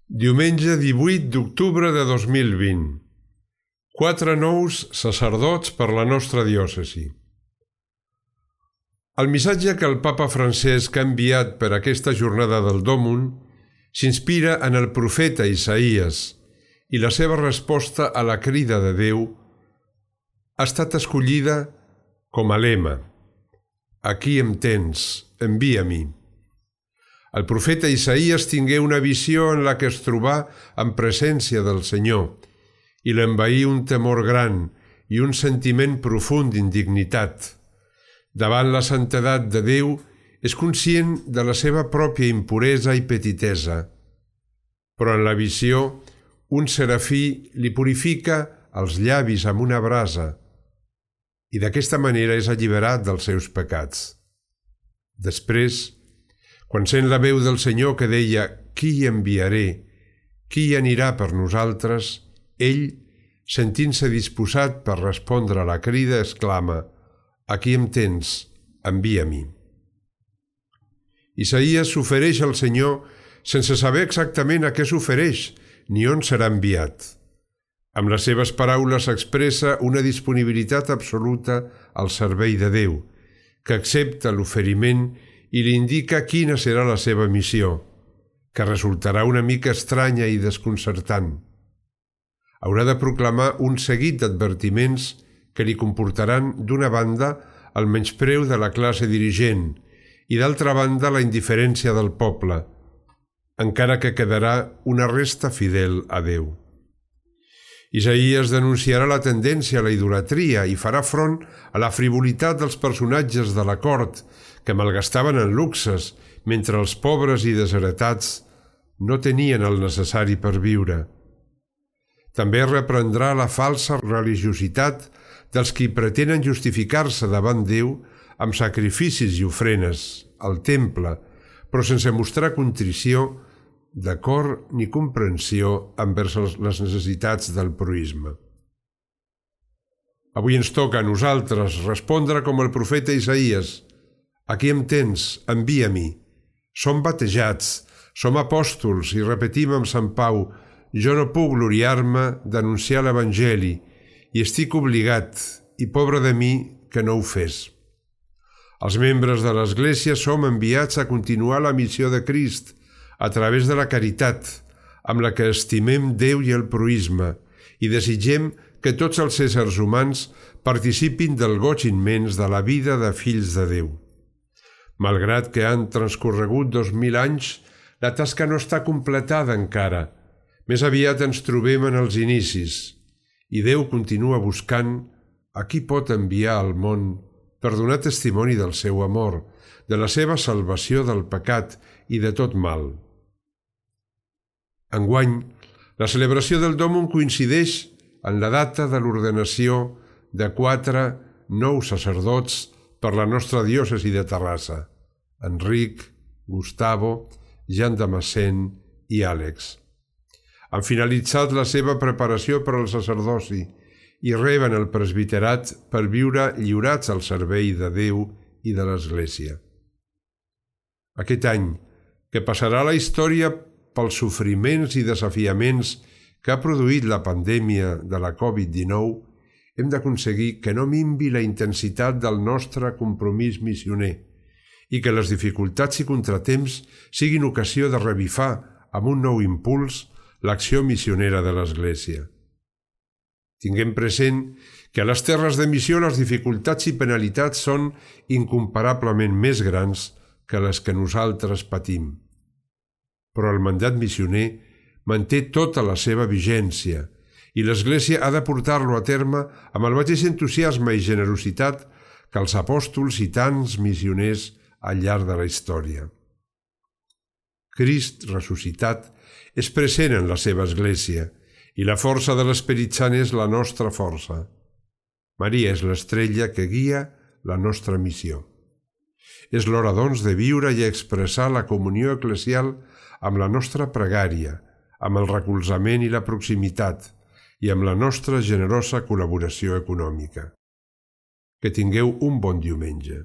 Diumenge 18 d'octubre de 2020. 4 nous sacerdots per la nostra diòcesi. El missatge que el papa Francesc ha enviat per aquesta jornada del Dòmun s'inspira en el profeta Isaïes i la seva resposta a la crida de Déu ha estat escollida com a lema: «Aquí em tens, envia-m'hi». El profeta Isaïes tingué una visió en la que es trobà en presència del Senyor i l'envaí un temor gran i un sentiment profund d'indignitat. Davant la santedat de Déu és conscient de la seva pròpia impuresa i petitesa, però en la visió un serafí li purifica els llavis amb una brasa i d'aquesta manera és alliberat dels seus pecats. Després, quan sent la veu del Senyor que deia «Qui hi enviaré? Qui hi anirà per nosaltres?», ell, sentint-se disposat per respondre a la crida, exclama «Aquí em tens, envia-m'hi». Isaïes s'ofereix al Senyor sense saber exactament a què s'ofereix ni on serà enviat. Amb les seves paraules expressa una disponibilitat absoluta al servei de Déu, que accepta l'oferiment i li indica quina serà la seva missió, que resultarà una mica estranya i desconcertant. Haurà de proclamar un seguit d'advertiments que li comportaran, d'una banda, el menyspreu de la classe dirigent i, d'altra banda, la indiferència del poble, encara que quedarà una resta fidel a Déu. Isaïes denunciarà la tendència a la idolatria i farà front a la frivolitat dels personatges de la cort que malgastaven en luxes mentre els pobres i desheretats no tenien el necessari per viure. També reprendrà la falsa religiositat dels qui pretenen justificar-se davant Déu amb sacrificis i ofrenes al temple, però sense mostrar contrició de cor ni comprensió envers les necessitats del proïsme. Avui ens toca a nosaltres respondre com el profeta Isaïes: «Aquí em tens, envia-m'hi». Som batejats, som apòstols i repetim amb Sant Pau: «Jo no puc gloriar-me d'anunciar l'Evangeli i estic obligat, i pobre de mi que no ho fes». Els membres de l'Església som enviats a continuar la missió de Crist a través de la caritat, amb la que estimem Déu i el proïsme, i desitgem que tots els éssers humans participin del goig immens de la vida de fills de Déu. Malgrat que han transcorregut 2000 anys, la tasca no està completada encara. Més aviat ens trobem en els inicis, i Déu continua buscant a qui pot enviar al món per donar testimoni del seu amor, de la seva salvació del pecat i de tot mal. Enguany, la celebració del Dòmun coincideix en la data de l'ordenació de 4 nous sacerdots per la nostra diòcesi de Terrassa: Enric, Gustavo, Jean Damascène i Àlex. Han finalitzat la seva preparació per al sacerdoci i reben el presbiterat per viure lliurats al servei de Déu i de l'Església. Aquest any, que passarà a la història pels sofriments i desafiaments que ha produït la pandèmia de la Covid-19, hem d'aconseguir que no minvi la intensitat del nostre compromís missioner i que les dificultats i contratemps siguin ocasió de revifar amb un nou impuls l'acció missionera de l'Església. Tinguem present que a les terres de missió les dificultats i penalitats són incomparablement més grans que les que nosaltres patim. Però el mandat missioner manté tota la seva vigència i l'Església ha de portar-lo a terme amb el mateix entusiasme i generositat que els apòstols i tants missioners al llarg de la història. Crist ressuscitat és present en la seva Església i la força de l'Esperit Sant és la nostra força. Maria és l'estrella que guia la nostra missió. És l'hora, doncs, de viure i expressar la comunió eclesial amb la nostra pregària, amb el recolzament i la proximitat i amb la nostra generosa col·laboració econòmica. Que tingueu un bon diumenge.